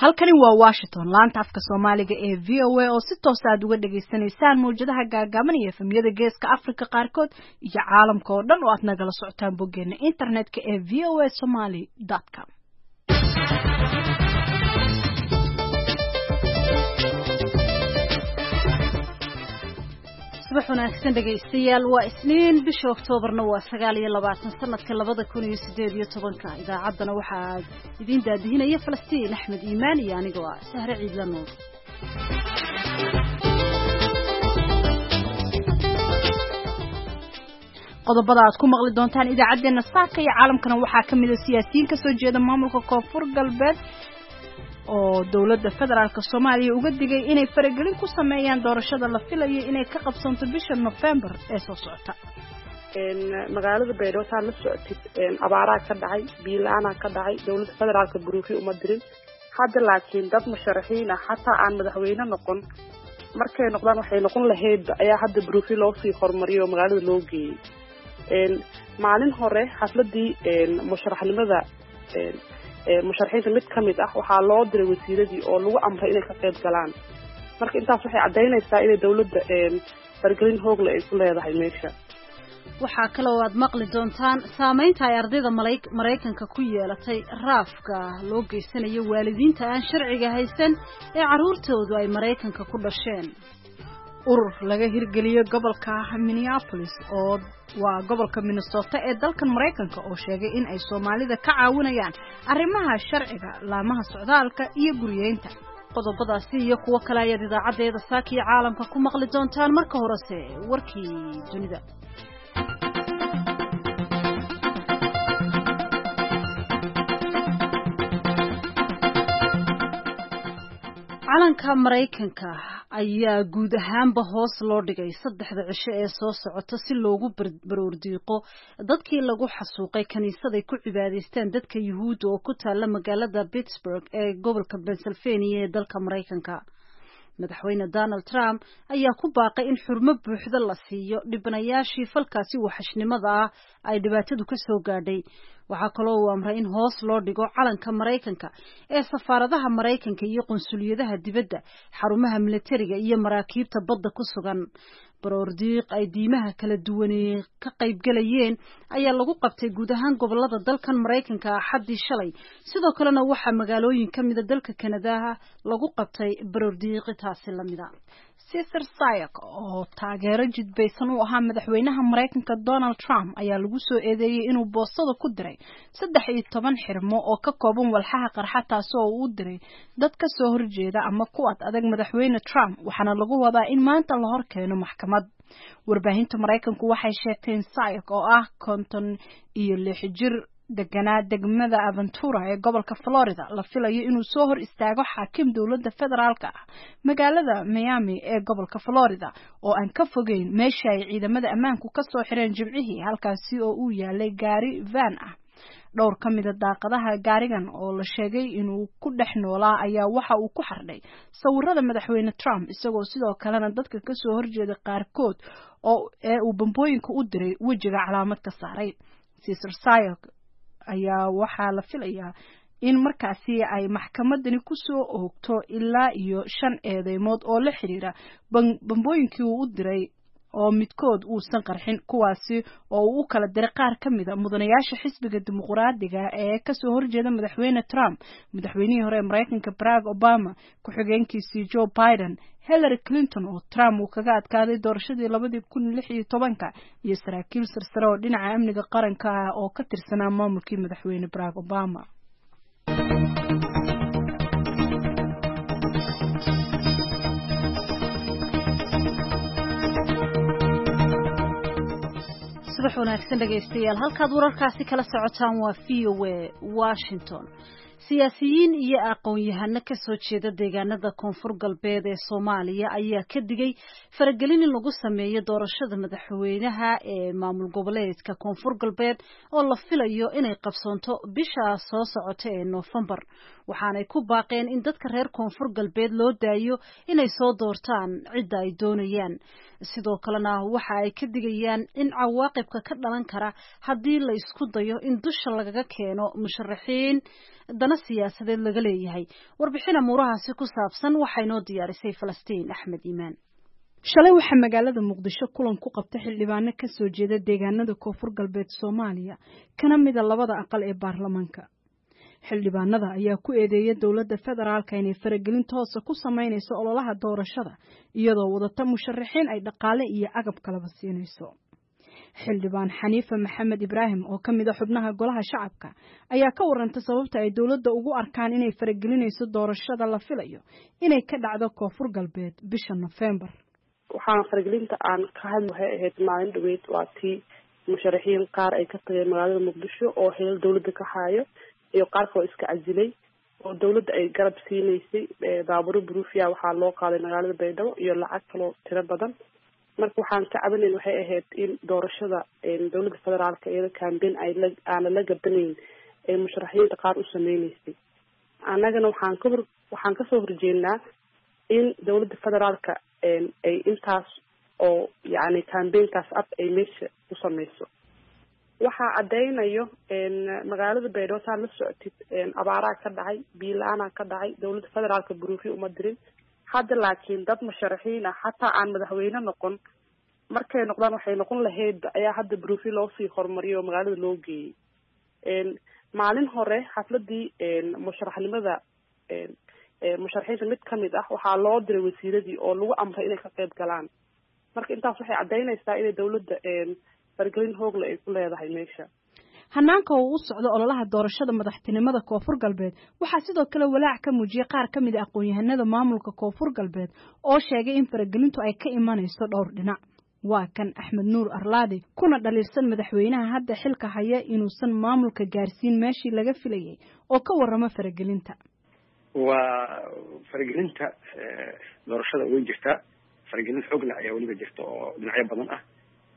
Halkani waa Washington, laanta afka Soomaaliga ee VOA oo si toos aad uga dhagaysanaysaan mawjadaha gaagaaban iyo efemyada Geeska Afrika qaarkood iyo caalamka oo dhan oo aad nagala socotaan boggeena internetka ee voasomali.com. Subax wanaagsan dhegaystayaal, waa Isniin, bisha Oktoobarna waa 29, sanadka 2018-ka. Idaacaddana waxaa idiin daadihinaya Falastiin Axmed Iimaan iyo anigoo ah Sahre Ciidla Nuur. Qodobada aad ku maqli doontaan idaacaddeenna saaka iyo caalamkana waxaa ka mid a siyaasiyiin kasoo jeeda maamulka Koonfur Galbeed oo dowladda federaalk Soomaaliya uga digay inay faragelin ku sameeyaan doorashada la filayo inay ka qabsanto bisha Nofembar ee soo socota. Magaalada Baydhabo taa la socotid, abaaraa ka dhacay, biyo la-aanaa ka dhacay, dowladda federaalka buruufi uma dirin hadda, laakiin dad musharaxiin ah xataa aan madaxweyne noqon markay noqdaan waxay noqon lahaydba ayaa hadda buruufi loosii hormariyay oo magaalada loo geeyey. Maalin hore xafladii musharaxnimada musharaxiinta mid ka mid ah waxaa loo diray wasiiradii oo lagu amray inay ka qayb galaan. Marka intaas waxay caddaynaysaa inay dowladda fargelin hoogle ay ku leedahay meesha. Waxaa kaloo aad maqli doontaan saameynta ay ardayda Maraykanka ku yeelatay raafka loo geysanayo waalidiinta aan sharciga haysan ee carruurtoodu ay Maraykanka ku dhasheen. Urur laga hirgeliyo gobolka Minneapolis oo waa gobolka Minnesota ee dalkan Maraykanka oo sheegay in ay Soomaalida ka caawinayaan arrimaha sharciga, laamaha socdaalka iyo guriyeynta. Qodobadaasi iyo kuwo kale ayaad idaacaddeeda saaka iyo caalamka ku maqli doontaan. Marka horese warkii dunida. Calanka Maraykanka ayaa guud ahaanba hoos loo dhigay saddexda cisho ee soo socota si loogu baroordiiqo dadkii lagu xasuuqay kiniisaday ku cibaadaystaan dadka Yuhuudda oo ku taalla magaalada Pittsburgh ee gobolka Pennsylvania ee dalka Maraykanka. Madaxweyne Donald Trump ayaa ku baaqay in xurmo buuxda la siiyo dhibanayaashii falkaasi waxashnimada ah ay dhibaatadu ka soo gaadhay. Waxaa kaloo uu amray in hoos loo dhigo calanka Maraykanka ee safaaradaha Maraykanka iyo qunsuliyadaha dibadda, xarumaha militariga iyo maraakiibta badda ku sugan. Baroordiiq ay diimaha kala duwani ka qaybgalayeen ayaa lagu qabtay guud ahaan gobolada dalkan Maraykanka Axaddii shalay. Sidoo kalena waxaa magaalooyin ka mida dalka Kanadaha lagu qabtay baroordiiqi taasi lamida. Cesar Sayoc oo taageero jidbaysan u ahaa madaxweynaha Maraykanka Donald Trump ayaa lagu soo eedeeyey inuu boostada ku diray 13 xirmo oo ka kooban walxaha qarxa, taasi oo uu u diray dad ka soo horjeeda ama ku ad adag madaxweyne Trump, waxaana lagu wadaa in maanta la hor keeno maxkamad. Warbaahinta Maraykanku waxay sheegteen Sayoc oo ah 56 jir deganaa degmada Aventura ee gobolka Florida la filayo inuu soo hor istaago xaakim dowladda federaalka ah magaalada Miami ee gobolka Florida oo aan ka fogeyn meesha ay ciidamada ammaanku ka soo xireen Jimcihii, halkaasi oo uu yaalay gaari van ah. Dhowr ka mida daaqadaha gaarigan oo la sheegay inuu ku dhex noolaa ayaa waxa uu ku xardhay sawirada madaxweyne Trump, isagoo sidoo kalena dadka kasoo horjeeda qaarkood oo ee uu bambooyinka u diray wejiga calaamad ka saaray. Cesar Sayoc ayaa waxaa la filayaa in markaasi ay maxkamadani ku soo oogto ilaa iyo shan eedeymood oo la xiriira bambooyinkii uu u diray oo midkood uusan qarxin, kuwaasi oo uu u kala diray qaar ka mida mudanayaasha xisbiga Dimuqraadiga ee kasoo horjeeda madaxweyne Trump, madaxweynihii hore ee Maraykanka Barack Obama, ku-xigeenkiisii Joe Biden, Hillary Clinton oo Trump uu kaga adkaaday doorashadii 2016-ka, iyo saraakiil sarsare oo dhinaca amniga qaranka ah oo ka tirsanaa maamulkii madaxweyne Barack Obama. Subax wanaagsan dhegaystayaal, halkaad wararkaasi kala socotaan waa VOA Washington. Siyaasiyiin iyo aqoon-yahano ka soo jeeda deegaanada Koonfur Galbeed ee Soomaaliya ayaa ka digay faragelin in lagu sameeyo doorashada madaxweynaha ee maamul goboleedka Koonfur Galbeed oo la filayo inay qabsoonto bisha soo socota ee Noofembar. Waxaanay ku baaqeen in dadka reer Koonfur Galbeed loo daayo inay soo doortaan cidda ay doonayaan. Sidoo kalena waxa ay ka digayaan in cawaaqibka ka dhalan kara haddii la isku dayo in dusha lagaga keeno musharaxiin dana dana siyaasadeed laga leeyahay. Warbixin amuurahaasi ku saabsan waxay noo diyaarisay Falastiin Axmed Iimaan. Shalay waxaa magaalada Muqdisho kulan ku qabtay xildhibaano ka soo jeeda deegaanada Koonfur Galbeed Soomaaliya, kana mida labada aqal ee baarlamaanka. Xildhibaanada ayaa ku eedeeyay dowladda federaalka inay faragelin toosa ku samaynayso ololaha doorashada, iyadoo wadata musharaxiin ay dhaqaale iyo agab kalaba siinayso. Xildhibaan Xaniife Maxamed Ibraahim oo ka mid a xubnaha golaha shacabka ayaa ka warantay sababta ay dowladda ugu arkaan inay faragelinayso doorashada la filayo inay ka dhacdo Koonfur Galbeed bisha Nofeembar. Waxaan faragelinta aan ka hadli waxay ahayd maalin dhaweyd, waa tii musharaxiin qaar ay ka tageen magaalada Muqdisho oo xilal dowladda ka haayo iyo qaar kaloo iska casilay oo dowladda ay garab siinaysay. Baabuuro buruufiya waxaa loo qaaday magaalada Baydhabo iyo lacag kaloo tiro badan. Marka waxaan ka cabanayn waxay ahayd in doorashada dowladda federaalka iyada campaign ay la aana la gabanayn ee musharaxiinta qaar u sameynaysay. Annagana waxaan kasoo horjeednaa in dowladda federaalka ay intaas oo yacni campaignkaas ab ay meesha ku sameyso. Waxaa caddaynayo magaalada Baydhabo saa la socotid, abaaraa ka dhacay, biyo la-aanaa ka dhacay, dowladda federaalka buruufi uma dirin. Hadda laakiin dad musharaxiin ah xataa aan madaxweyne noqon, markay noqdaan waxay noqon lahaydba ayaa hadda buruufi loosii hormariyay oo magaalada loo geeyey. Maalin hore xafladii musharaxnimada musharaxiinta mid kamid ah waxaa loo diray wasiiradii oo lagu amray inay ka qayb galaan. Marka intaas waxay caddaynaysaa inay dowladda faragelin hoogle ay ku leedahay meesha. Hanaanka oo u socdo ololaha doorashada madaxtinimada Koonfur Galbeed waxaa sidoo kale walaac ka muujiyay qaar ka mid a aqoon-yahanada maamulka Koonfur Galbeed oo sheegay in faragelintu ay ka imanayso dhowr dhinac. Waa kan Axmed Nuur Arlaadi, kuna dhaliilsan madaxweynaha hadda xilka haya inuusan maamulka gaarsiin meeshii laga filayay, oo ka warrama faragelinta. Waa faragelinta doorashada way jirtaa, faragelin xoogle ayaa weliba jirta oo dhinacyo badan ah,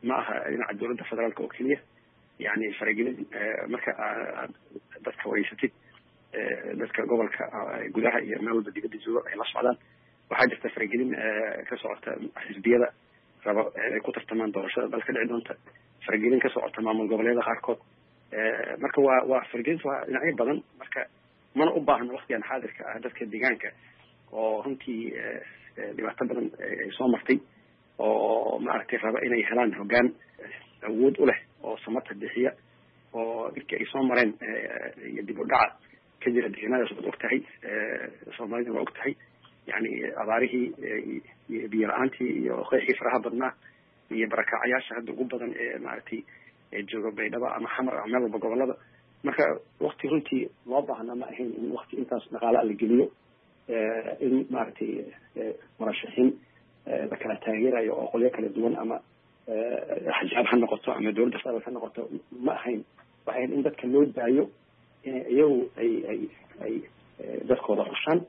ma aha dhinaca dowladda federaalka oo keliya. Yani faragelin marka aad dadka wareysatid, dadka gobolka gudaha iyo meel walba dibadda jooga ay la socdaan, waxaa jirta faragelin ka socota xisbiyada raba ay ku tartamaan doorashada dalka dhici doonta, faragelin ka socota maamul goboleeda qaarkood. Marka waa faragelinta waa dhinacyo badan. Marka mana u baahna waktigan xaadirka ah dadka deegaanka oo runtii dhibaato badan ay soo martay oo maaragtay raba inay helaan hoggaan awood u leh oo samata bixiya oo dhibkii ay soo mareen iyo dib u dhaca ka jira deegaanadaas waad og tahay, Soomaalida waa og tahay, yani abaarihii iyo biyo la-aantii iyo qeexii faraha badnaa iyo barakaacayaasha hadda ugu badan ee maaragtay jooga Baydhaba ama Xamar ama meel walba gobolada. Marka wakti runtii loo baahna ma ahayn in wakti intaas dhaqaala la geliyo in maaragtay murashaxiin la kala taageerayo oo qolyo kala duwan ama axjaab ha noqoto ama dowladda federaalk ha noqoto, ma ahayn. Waxay ahayd in dadka loo daayo inay iyagu ay dadkooda xushaan.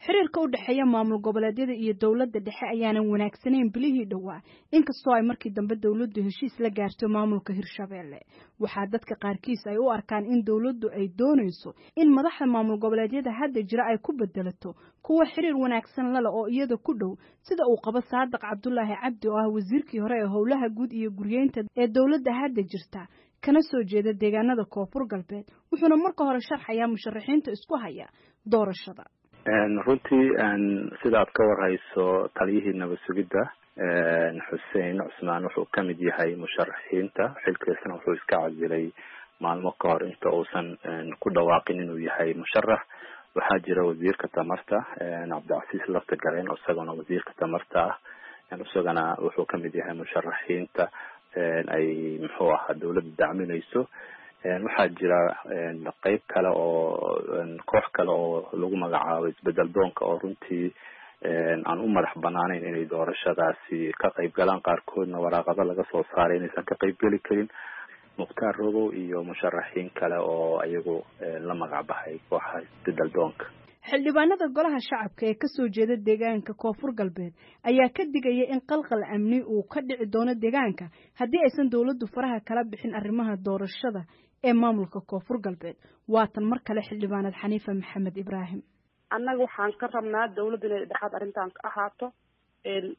Xiriirka u dhexeeya maamul goboleedyada iyo dowladda dhexe ayaanan wanaagsanayn bilihii dhowaa, inkastoo ay markii dambe dowladdu heshiis la gaarto maamulka Hirshabeelle. Waxaa dadka qaarkiis ay u arkaan in dowladdu ay doonayso in madaxda maamul goboleedyada hadda jira ay ku bedelato kuwa xiriir wanaagsan lale oo iyada ku dhow, sida uu qabo Saadiq Cabdulaahi Cabdi oo ah wasiirkii hore ee howlaha guud iyo guryeynta ee dowladda hadda jirta, kana soo jeeda deegaanada Koonfur Galbeed. Wuxuuna marka hore sharxayaa musharaxiinta isku haya doorashada. Runtii sida aad ka warhayso, taliyihii nabad sugidda Xuseen Cusmaan wuxuu kamid yahay musharaxiinta, xilkiisana wuxuu iska casilay maalmo ka hor inta uusan ku dhawaaqin inuu yahay musharax. Waxaa jira wasiirka tamarta Cabdicasiis Laftagareen, isagana wasiirka tamarta ah, isagana wuxuu kamid yahay musharaxiinta ay muxuu ahaa dowladda dacminayso. Waxaa jira qeyb kale oo koox kale oo lagu magacaabo Isbedel Doonka oo runtii aan u madax banaaneyn inay doorashadaasi ka qayb galaan, qaarkoodna waraaqado laga soo saaray inaysan ka qayb geli karin. Mukhtaar Robow iyo musharaxiin kale oo iyagu la magac baxay kooxaha Isbedel Doonka. Xildhibaanada golaha shacabka ee ka soo jeeda deegaanka Koonfur Galbeed ayaa ka digaya in qalqal amni uu ka dhici doono deegaanka haddii aysan dowladdu faraha kala bixin arrimaha doorashada ee maamulka Koonfur Galbeed. Waatan mar kale xildhibaanad Xaniife Maxamed Ibraahim. Annaga waxaan ka rabnaa dowladda inay dhexaad arrintan ka ahaato,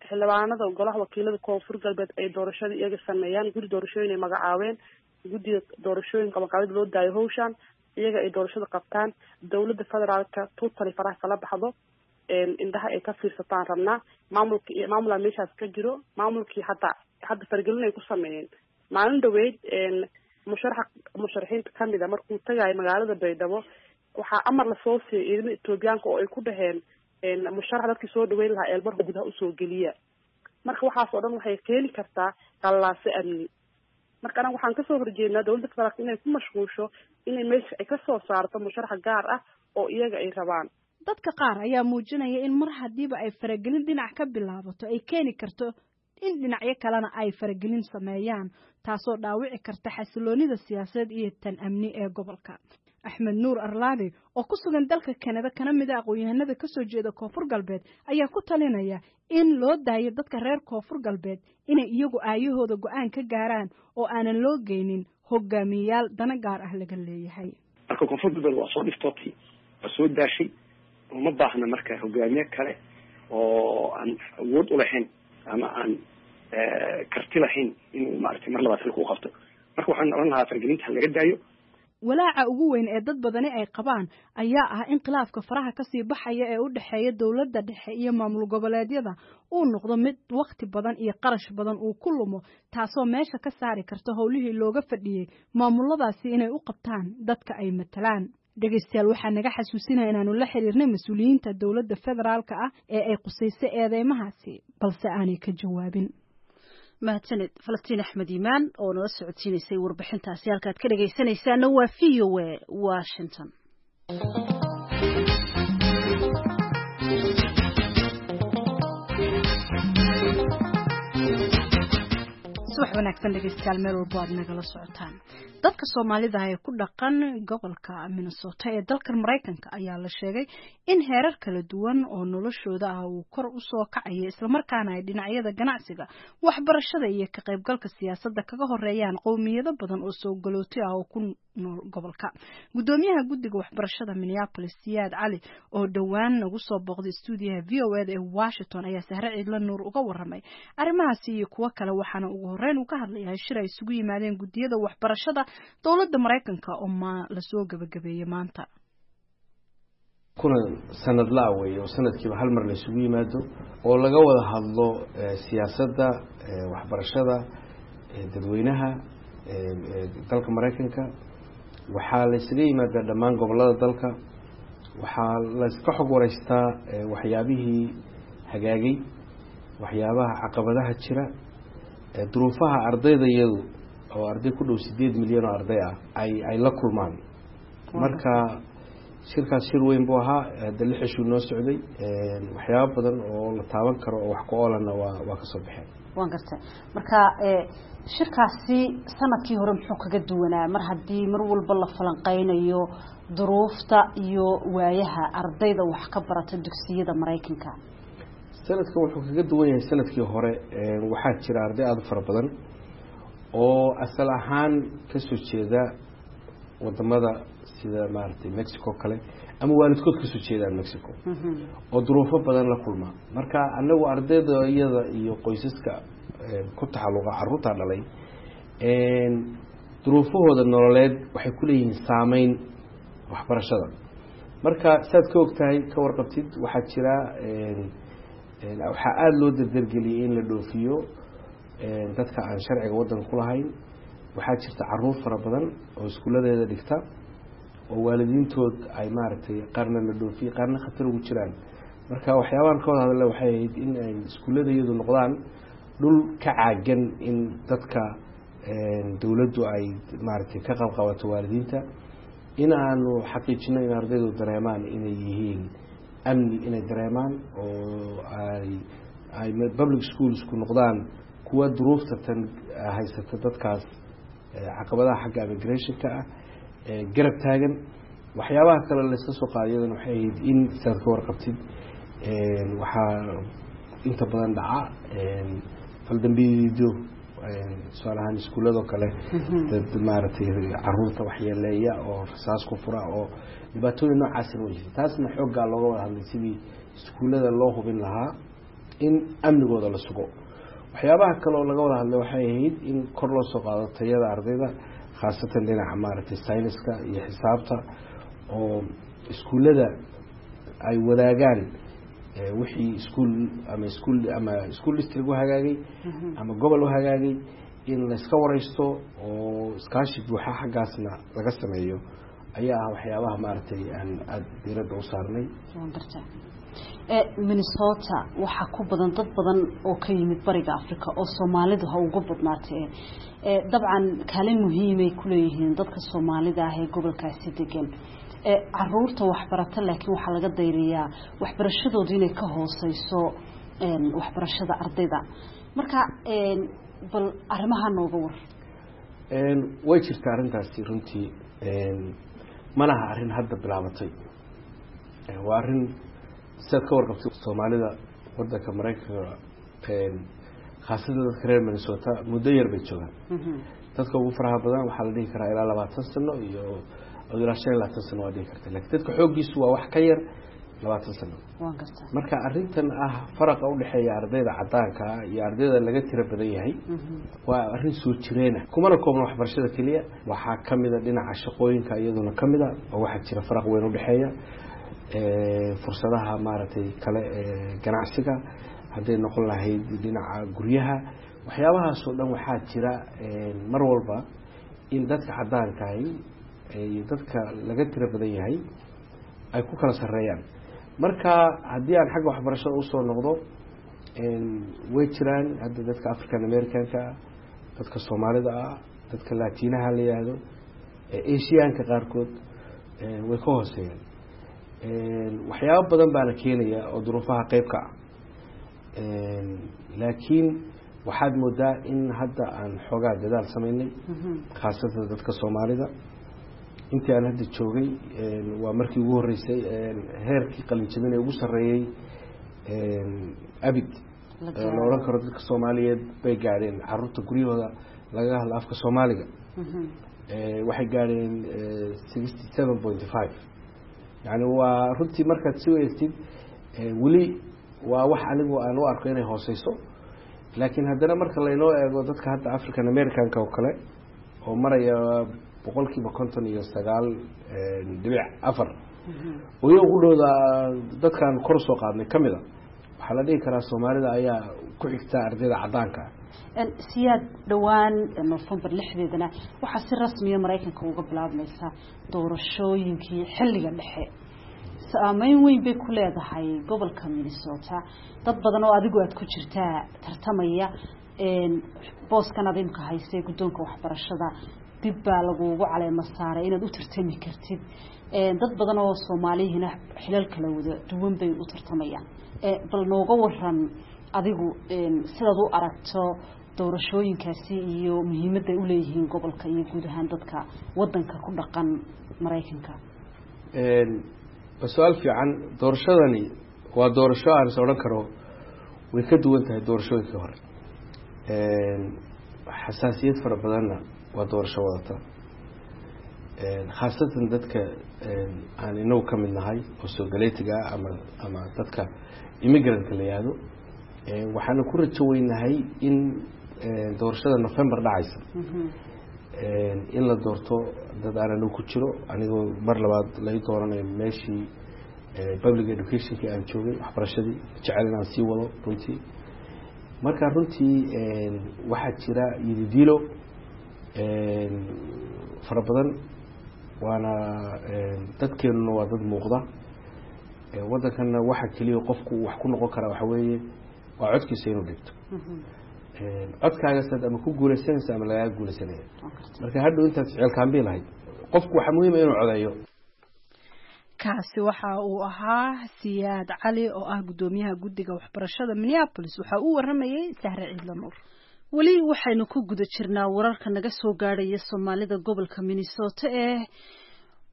xildhibaanada golaha wakiilada Koonfur Galbeed ay doorashada iyaga sameeyaan, guddi doorashooyin ay magacaabeen, guddiga doorashooyinka magacaabid loo daayo hawshan. Iyaga ay doorashada qabtaan, dowladda federaalka totally faraha kala baxdo, indhaha ay ka fiirsataan rabnaa. Maamulka maamulaa meeshaas ka jiro, maamulkii hataa hadda faragelin ay ku sameeyeen. Maalin dhaweyd musharaxa musharaxiinta kamid a markuu tagayo magaalada Baydhabo, waxaa amar lasoo siiyay ciidamada Etoobiyaanka oo ay ku dhaheen musharax dadkii soo dhaweyn lahaa eelmarka gudaha usoo geliya. Marka waxaas oo dhan waxay keeni kartaa qallaase amni. Marka anaga waxaan kasoo horjeednaa dowladda federaalka inay ku mashquusho inay meesha ay kasoo saarto musharax gaar ah oo iyaga ay rabaan. Dadka qaar ayaa muujinaya in mar haddiiba ay faragelin dhinac ka bilaabato ay keeni karto in dhinacyo kalena ay faragelin sameeyaan, taasoo dhaawici karta xasiloonida siyaasadeed iyo tan amni ee gobolka. Axmed Nuur Arlaabi oo ku sugan dalka Kanada kana mid a aqoon-yahanada kasoo jeeda Koonfur Galbeed ayaa ku talinaya in loo daayo dadka reer Koonfur Galbeed inay iyagu aayahooda go-aan ka gaaraan oo aanan loo geynin hogaamiyayaal dana gaar ah laga leeyahay. Marka Koonfur Galbeed waa soo dhiftootay, waa soo daashay, uma baahna marka hogaamiye kale oo aan awood u lahayn ama aan karti lahayn inuu maaragtay mar labaad xilka u qabto. Marka waxaan odhan lahaa fargelinta ha laga daayo. Walaaca ugu weyn ee dad badani ay qabaan ayaa ah in khilaafka faraha kasii baxaya ee u dhexeeya dowladda dhexe iyo maamul goboleedyada uu noqdo mid wakhti badan iyo qarash badan uu ku lumo, taasoo meesha ka saari karta howlihii looga fadhiyey maamuladaasi inay u qabtaan dadka ay matalaan. Dhegeystayaal, waxaa naga xasuusinaya inaanu la xiriirnay mas-uuliyiinta dowladda federaalka ah ee ay qusaysay eedeymahaasi, balse aanay ka jawaabin. Mahadsaned Falastiin Axmed Iimaan oo nala socodsiinaysay warbixintaasi. Halkaad ka dhegaysanaysaana waa V O A Washington. Subax wanaagsan dhegeystayaal, meel walbo aad nagala socotaan. Dadka Soomaalida ee ku dhaqan gobolka Minnesota ee dalkan Maraykanka ayaa la sheegay in heerar kala duwan oo noloshooda ah uu kor u soo kacayo, islamarkaana ay dhinacyada ganacsiga, waxbarashada iyo ka qaybgalka siyaasadda kaga horeeyaan qowmiyado badan oo soo galooti ah oo ku nool gobolka. Gudoomiyaha guddiga waxbarashada Minneapolis, Siyaad Cali, oo dhowaan nagu soo booqday stuudiyaha V O eda ee Washington, ayaa Sahre Ciidla Nuur uga waramay arrimahaasi iyo kuwo kale, waxaana ugu horreyn uu ka hadlayahay shir ay isugu yimaadeen guddiyada waxbarashada dowladda Maraykanka oo ma lasoo gabagabeeyey maanta. Kulan sanadlaa weeye oo sanadkiiba hal mar la isugu yimaado oo laga wada hadlo siyaasadda waxbarashada dadweynaha dalka Maraykanka. Waxaa la ysaga yimaadaa dhammaan gobollada dalka, waxaa layska xog wareystaa waxyaabihii hagaagay, waxyaabaha caqabadaha jira, duruufaha ardayda iyadu oo arday ku dhow 8 milyan oo arday ah ay la kulmaan. Marka shirkaas shir weyn buu ahaa, hadda 6 cishuu noo socday, waxyaabo badan oo la taaban karo oo wax ku oolana waa kasoo baxeen. Waan gartay. Marka shirkaasi sanadkii hore muxuu kaga duwanaa, mar haddii mar walba la falanqeynayo duruufta iyo waayaha ardayda wax ka barata dugsiyada Maraykanka? Sanadkan wuxuu kaga duwan yahay sanadkii hore, waxaa jira arday aada u fara badan oo asal ahaan kasoo jeeda wadamada sida maaragtay Mexico kale ama waalidkood kasoo jeedaan Mexico oo duruufo badan la kulma. Marka anagu ardayda iyada iyo qoysaska ku taxalluqa carruurta dhalay duruufahooda nololeed waxay kuleeyihiin saameyn waxbarashada. Marka saad ka ogtahay, ka warqabtid, waxaa jira, waxaa aada loo dardargeliyey in la dhoofiyo dadka aan sharciga waddanka ku lahayn. Waxaa jirta caruur fara badan oo iskuuladeeda dhigta oo waalidiintood ay maaragtay qaarna la dhoofiyey, qaarna khatar ugu jiraan. Marka waxyaabahan ka wada hadle waxay ahayd in ay iskuullada iyadu noqdaan dhul ka caagan in dadka dowladdu ay maaragtay ka qabqabato waalidiinta, in aanu xaqiijino in ardaydu dareemaan inay yihiin amni, inay dareemaan oo ay public schoolsku noqdaan kuwa duruufta tan haysata dadkaas caqabadaha xagga immigrationka ah garab taagan. Waxyaabaha kale layska soo qaaday iyadana waxay ahayd in saad ka warqabtid waxaa inta badan dhaca faldambiidyo, tusaale ahaan iskuuladoo kale dad maaragtay caruurta waxyeeleeya oo rasaas ku fura oo dhibaatooyin noocaasina way jirta. Taasna xooggaa looga wada hadlay sidii iskuullada loo hubin lahaa in amnigooda la sugo. Waxyaabaha kale oo laga wada hadlay waxay ahayd in kor loo soo qaado tayada ardayda, Khaasatan dhinaca maaragtay sayniska iyo xisaabta, oo iskuullada ay wadaagaan wixii iskuul ama iskuul ama school district u hagaagay ama gobol u hagaagay in layska wareysto oo iskaashi buuxa xaggaasna laga sameeyo ayaa ah waxyaabaha maaragtay aan aada diiradda u saarnay. Waan gartaa. Minnesota waxaa ku badan dad badan oo ka yimid Bariga Africa, oo Soomaalidu ha ugu badnaatee. Dabcan kaalin muhiimay kuleeyihiin dadka Soomaalida ah ee gobolkaasi degan caruurta waxbarata, laakiin waxaa laga dayriyaa waxbarashadoodu inay ka hooseyso waxbarashada ardayda. Marka bal arrimaha nooga war. Way jirtaa arrintaasi runtii. Mana aha arrin hadda bilaabatay, waa arrin sidaad ka warqabtay Soomaalida wadanka Maraykanka, khaasatan dadka reer Minnesota, muddo yar bay joogaan. Dadka ugu faraha badan waxaa la dhihi karaa ilaa 20 sano iyo ilaa 25 sano waa dhihi karta, lakin dadka xooggiisu waa wax ka yar 20 sano. Waan gartaa. Marka arrintan ah faraqa udhexeeya ardayda caddaanka ah iyo ardayda laga tiro badan yahay waa arrin soo jireena, kumana koobna waxbarashada keliya. Waxaa kamida dhinaca shaqooyinka iyaduna kamida oo waxaa jira faraq weyn udhexeeya fursadaha maaragtay kale ee ganacsiga, hadday noqon lahayd dhinaca guryaha, waxyaabahaasoo dhan. Waxaa jira mar walba in dadka caddaankahi iyo dadka laga tiro badan yahay ay ku kala sareeyaan. Marka haddii aan xagga waxbarashada usoo noqdo, way jiraan hadda dadka African Americanka ah, dadka Soomaalida ah, dadka Latinaha la yihahdo, Asiaanka qaarkood way ka hooseeyaan. Waxyaabo badan baana keenaya oo duruufaha qeyb ka ah, laakiin waxaad moodaa in hadda aan xoogaa dadaal sameynay, khaasatan dadka Soomaalida. Intii aan hadda joogay waa markii ugu horreysay heerkii qalinjabin ee ugu sarreeyey abid la odhan karo dadka Soomaaliyeed bay gaadheen. Caruurta guryahooda lagaga hadla afka Soomaaliga waxay gaadheen 67.5. Yani waa runtii markaad si eegtid weli waa wax anigu aan u arko inay hooseyso, laakiin haddana marka laynoo eego dadka hadda African Americanka oo kale oo maraya 59.4% oo iyaga qudhooda dadkaan kor soo qaadnay ka mid a, waxaa la dhihi karaa Soomaalida ayaa ku xigta ardayda caddaanka ah. Siyaad, dhowaan November 6deedana waxaa si rasmiya Maraykanka uga bilaabmaysa doorashooyinkii xilliga dhexe. Saameyn weyn bay ku leedahay gobolka Minnesota. Dad badan oo adigu aada ku jirtaa tartamaya booskan aad imka haysay guddoonka waxbarashada. Dib baa lagugu caleemo saaray inaad u tartami kartid. Dad badan oo Soomaalihina xilal kala wada duwan bay u tartamayaan. Bal nooga waran adigu sidaad u aragto doorashooyinkaasi iyo muhiimadda ay uleeyihiin gobolka iyo guud ahaan dadka wadanka ku dhaqan Maraykanka. Waa su-aal fiican. Doorashadani waa doorasho aan is odhan karo way ka duwan tahay doorashooyinkii hore, xasaasiyad fara badanna waa doorasho wadata, khaasatan dadka aan inagu ka mid nahay oo soo galeetiga ah ama dadka immigrant-ka la yihahdo. Waxaana ku rajo weynahay in doorashada November dhacaysa in la doorto dad aan anigu ku jiro, anigoo mar labaad lai dooranayo meeshii public education-kii aan joogay, waxbarashadii jecel inaan sii wado runtii. Marka runtii waxaa jira yididiilo fara badan, waana dadkeenuna waa dad muuqda. Waddankanna waxa keliya qofku wax ku noqon karaa waxa weeye waa codkiisa inuu dhigto. Codkaagasaad ama ku guuleysanaysa ama lagaaga guuleysanaya. Marka hadhow intaad jeceelkaanbii lahayd, qofku waxaa muhiima inuu codeeyo. Kaasi waxa uu ahaa Siyaad Cali oo ah guddoomiyaha guddiga waxbarashada Minneapolis. Waxa uu waramayay Sahre Ciidla Nuur. Weli waxaynu ku guda jirnaa wararka naga soo gaadhaya Soomaalida gobolka Minnesota ee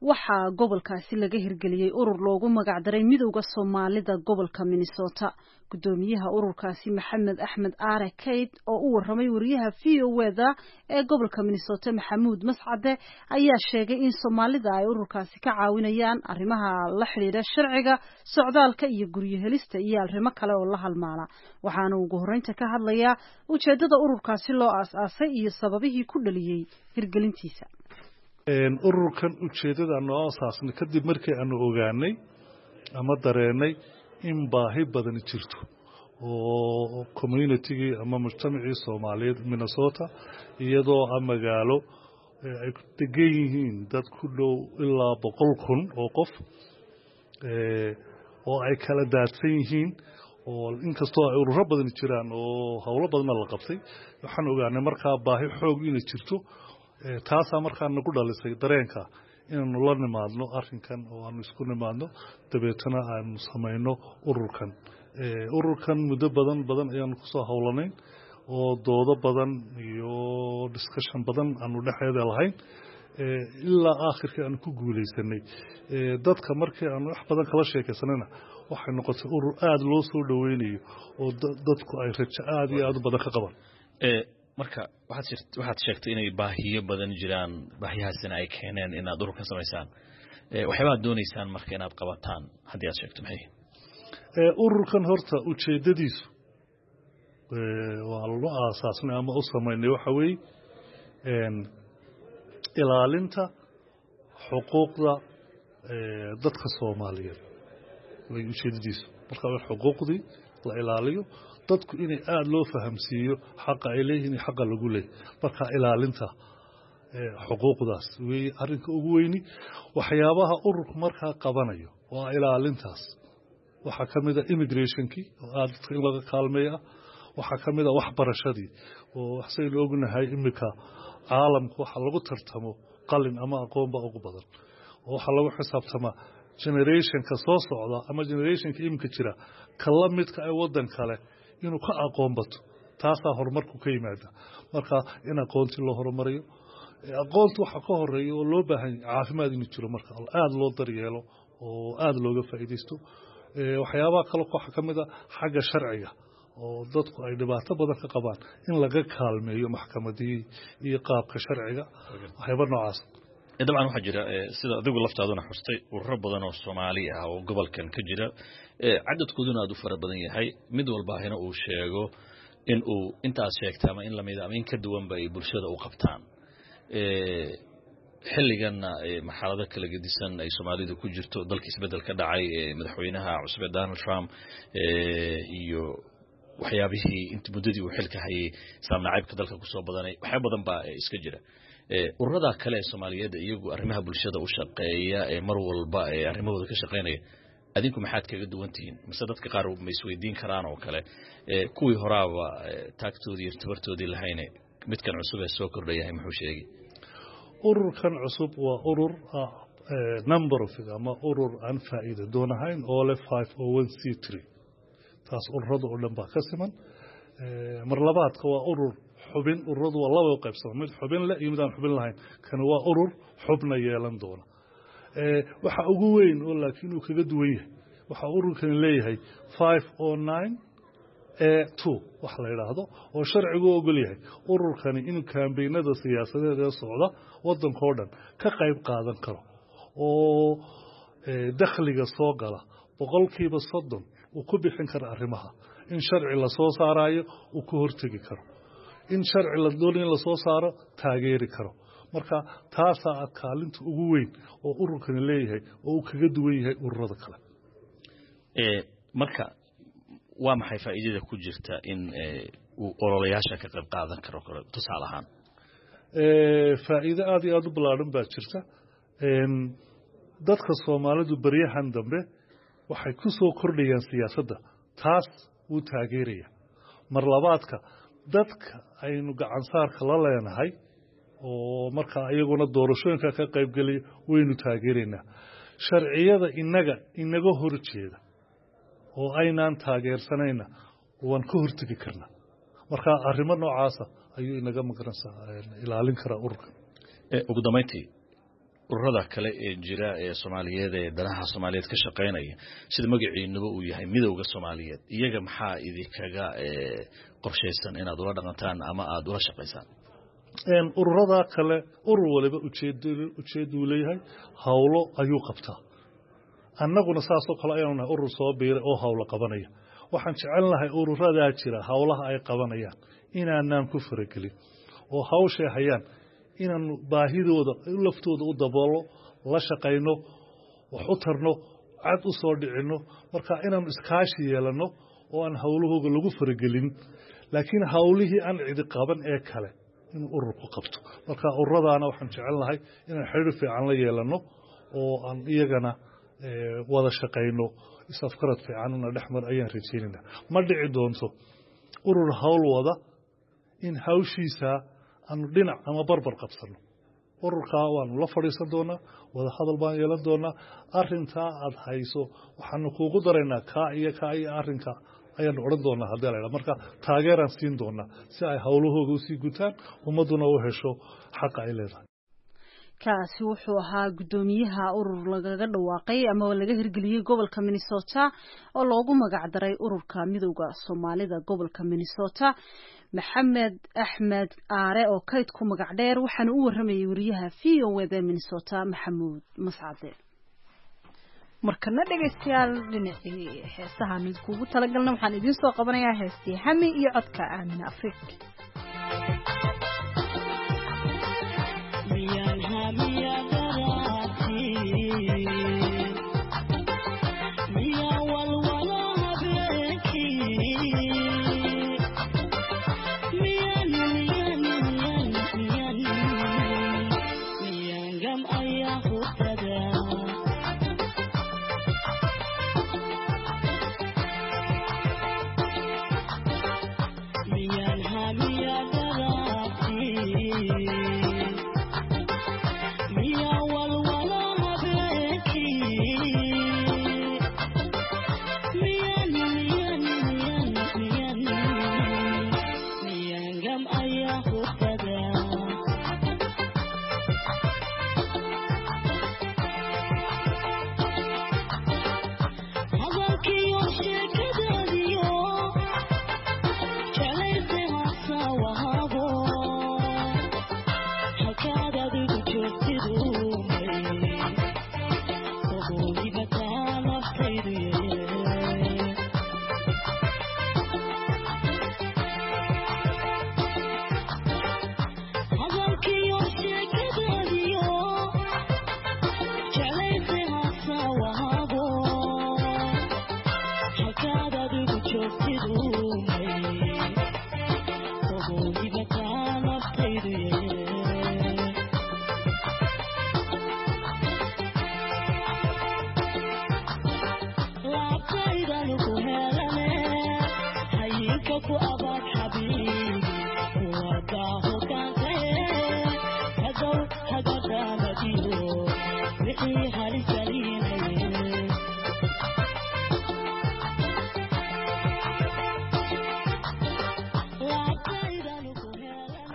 Waxaa gobolkaasi laga hirgeliyey urur loogu magacdaray Midowda Soomaalida gobolka Minnesota. Gudoomiyaha ururkaasi, Maxamed Axmed Aare Kayd, oo u waramay wariyaha VOA-da ee gobolka Minnesota, Maxamuud Mascade, ayaa sheegay in Soomaalida ay ururkaasi ka caawinayaan arrimaha la xidhiidha sharciga socdaalka iyo guryo helista iyo arrimo kale oo la halmaala. Waxaana ugu horreynta ka hadlayaa ujeedada ururkaasi loo aas-aasay iyo sababihii ku dhaliyey hirgelintiisa. Ururkan ujeeddada noo asaasnay kadib markii aanu ogaanay ama dareenay in baahi badani jirto oo communitygii ama mujtamacii Soomaaliyeed Minnesota, iyadoo ah magaalo ay degan yihiin dad ku dhow ilaa 100,000 oo qof oo ay kala daadsan yihiin, oo inkastoo ay ururo badani jiraan oo howlo badanna la qabtay, waxaan ogaanay markaa baahi xoog inay jirto. Taasaa markaa nagu dhalisay dareenka inaanu la nimaadno arrinkan oo aanu isku nimaadno, dabeetana aanu samayno ururkan. Ururkan muddo badan badan ayaanu kusoo howlanayn oo doodo badan iyo discussion badan aanu dhexeeda lahayn, ilaa aakhirkii aanu ku guulaysanay. Dadka markii aanu wax badan kala sheekaysanayna, waxay noqotay urur aada loo soo dhoweynayo oo dadku ay rajo aada iyo aada u badan ka qabaan. Marka waxaad sheegtay inay baahiyo badan jiraan, baahiyahaasina ay keeneen inaad ururkan samaysaan. Waxyaabaad doonaysaan marka inaad qabataan haddii aad sheegto, maxay? Ururkan horta ujeeddadiisu waa loo aasaasnay ama u samaynay waxa weeye ilaalinta xuquuqda dadka Soomaaliyeed way ujeeddadiisu. Marka in xuquuqdii la ilaaliyo, dadku inay aada loo fahamsiiyo xaqa ay leeyihiin iyo xaqa lagu leeyahy. Marka ilaalinta xuquuqdaas weeye arrinka ugu weyni. Waxyaabaha ururku markaa qabanayo waa ilaalintaas. Waxaa ka mid a immigrationkii oo aada dadka in laga kaalmeeya ah. Waxaa ka mid a waxbarashadii, oo waxsaynu ognahay iminka caalamku waxa lagu tartamo qalin ama aqoon baa ugu badan, oo waxaa lagu xisaabtamaa generationka soo socda ama generationka iminka jira ka la midka ay waddan kale inuu ka aqoon bato. Taasaa horumarku ka yimaada. Marka in aqoontii loo horumariyo, aqoonta waxaa ka horeeya oo loo baahan yahay caafimaad inuu jiro, marka aada loo daryeelo oo aada looga faa'iidaysto. Waxyaabaha kale waxaa ka mid a xagga sharciga, oo dadku ay dhibaato badan ka qabaan, in laga kaalmeeyo maxkamadihii iyo qaabka sharciga, waxyaaba noocaas. Dabcan waxaa jira, sida adigu laftaaduna xustay, ururo badan oo Soomaali ah oo gobolkan ka jira, cadadkooduna aad u fara badan yahay, mid walbaahina uu sheego in uu intaas sheegta ama in lamida ama in ka duwanba ay bulshada u qabtaan. Xilliganna marxalado kala gedisan ay Soomaalidu ku jirto, dalka isbeddel ka dhacay, madaxweynaha cusub ee Donald Trump iyo waxyaabihii int muddadii uu xilka hayay islaam nacaybka dalka kusoo badanay, waxyaaba badan baa iska jira. Ururada kale ee Soomaaliyeed iyagu arrimaha bulshada u shaqeeya ee mar walba ee arrimahooda ka shaqeynaya, adinku maxaad kaga duwan tihiin? Mise dadka qaar ma isweydiin karaan oo kale, kuwii horaaba taagtoodii iyo tabartoodii lahayne, midkan cusub ee soo kordhayahay muxuu sheegay? Ururkan cusub waa urur non profit ama urur aan faa'iida doon ahayn oo leh 501(c)(3). Taas ururada oo dhan baa ka siman. Mar labaadka waa urur xubin. Ururadu waa laba u qaybsama, mid xubin leh iyo mid aan xubin lahayn. Kani waa urur xubna yeelan doona. Waxa ugu weyn oo laakiin uu kaga duwan yahay, waxa ururkani leeyahay 509(a)(2) wax la yidhaahdo, oo sharcigu ogol yahay ururkani inuu kaambeynada siyaasadeed ee socda waddankao dhan ka qayb qaadan karo, oo dakhliga soo gala 30% uu ku bixin karo arrimaha, in sharci lasoo saarayo uu ka hortegi karo, in sharci la doonay in lasoo saaro taageeri karo. Marka taasaa kaalinta ugu weyn oo ururkani leeyahay oo uu kaga duwan yahay ururada kale. Marka waa maxay faa'iidada ku jirta in uu ololayaasha ka qayb qaadan karo kale, tusaale ahaan? Faa'iido aada iyo aada u ballaadhan baa jirta. Dadka Soomaalidu beryahan dambe waxay ku soo kordhayaan siyaasadda, taas wuu taageeraya. Mar labaadka, dadka aynu gacansaarka la leenahay oo markaa iyaguna doorashooyinka ka qaybgelaya waynu taageeraynaa. Sharciyada inaga inaga hor jeeda oo aynaan taageersanayna waan ka hortegi karnaa. Marka arrimo noocaasa ayuu inaga magaranaysaa ilaalin karaa ururkan. Ugu dambayntii, Ururada kale ee jira ee Soomaaliyeed ee danaha Soomaaliyeed ka shaqaynaya, sida magaciinuba uu yahay Midowda Soomaaliyeed, iyaga maxaa idinkaga qorshaysan inaad ula dhaqantaan ama aada ula shaqaysaan? Ururada kale, urur waliba ujeeduu leeyahay, howlo ayuu qabtaa. Annaguna saasoo kale ayaanu nahay, urur soo biiray oo howlo qabanaya. Waxaan jecel lahay ururadaa jira howlaha ay qabanayaan inaanaan ku faragelin, oo hawshay hayaan inaanu baahidooda laftooda u daboolo, la shaqayno, wax u tarno, cad u soo dhicinno. Marka inaanu iskaashi yeelanno oo aan howlahooga lagu faragelin, laakiin howlihii aan cidi qaban ee kale inuu ururku qabto. Marka ururadaana waxaan jecel lahay inaan xiriir fiican la yeelanno oo aan iyagana wada shaqayno, is-afgarad fiicanuna dhexmar ayaan rajaynayna. Ma dhici doonto urur hawl wada in hawshiisa aanu dhinac ama barbar qabsanno. Ururkaa waanu la fadhiisan doonaa, wada hadal baan yeelan doonaa. Arintaa aad hayso waxaanu kuugu daraynaa kaa iyo kaa iyo arrinka ayaanu odhan doonaa haddii la ydhaha. Marka taageeraan siin doonaa si ay howlahooga usii gutaan, ummadduna u hesho xaqa ay leedahay. Kaasi wuxuu ahaa guddoomiyaha urur lagaga dhawaaqay ama laga hirgeliyey gobolka Minnesota oo loogu magac daray Ururka Midowda Soomaalida gobolka Minnesota, Maxamed Axmed Aare oo Kayd ku magac dheer. Waxaana u waramayay wariyaha VOA da Minnesota, Maxamuud Mascade. Markana dhegaystayaal, dhinacii heesahaan idinkugu talagalna waxaan idiin soo qabanayaa heestii Hami iyo codka Aamina Afriik.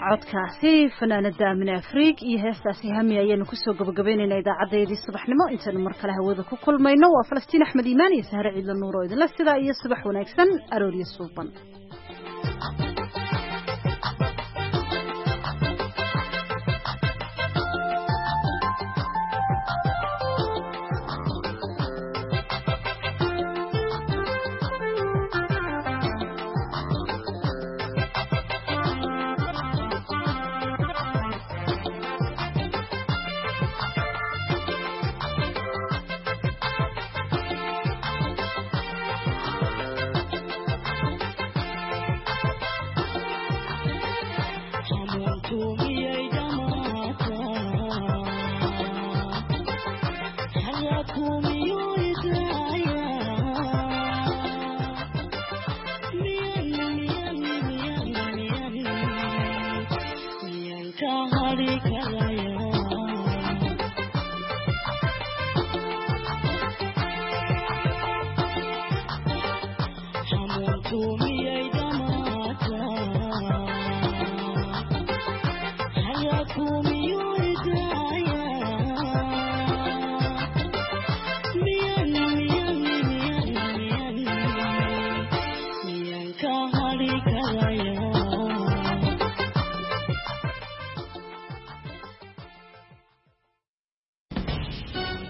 Codkaasi fanaanada Aamine Afriig iyo heestaasi Hami ayaanu kusoo gabagabaynaynaa idaacadeedii subaxnimo. Intaynu mar kale hawada ku kulmayno, waa Falastiin Axmed Iimaan iyo Sahre Ciidla Nuur oo idinla sidaa iyo subax wanaagsan, arooryo suuban. Thank you.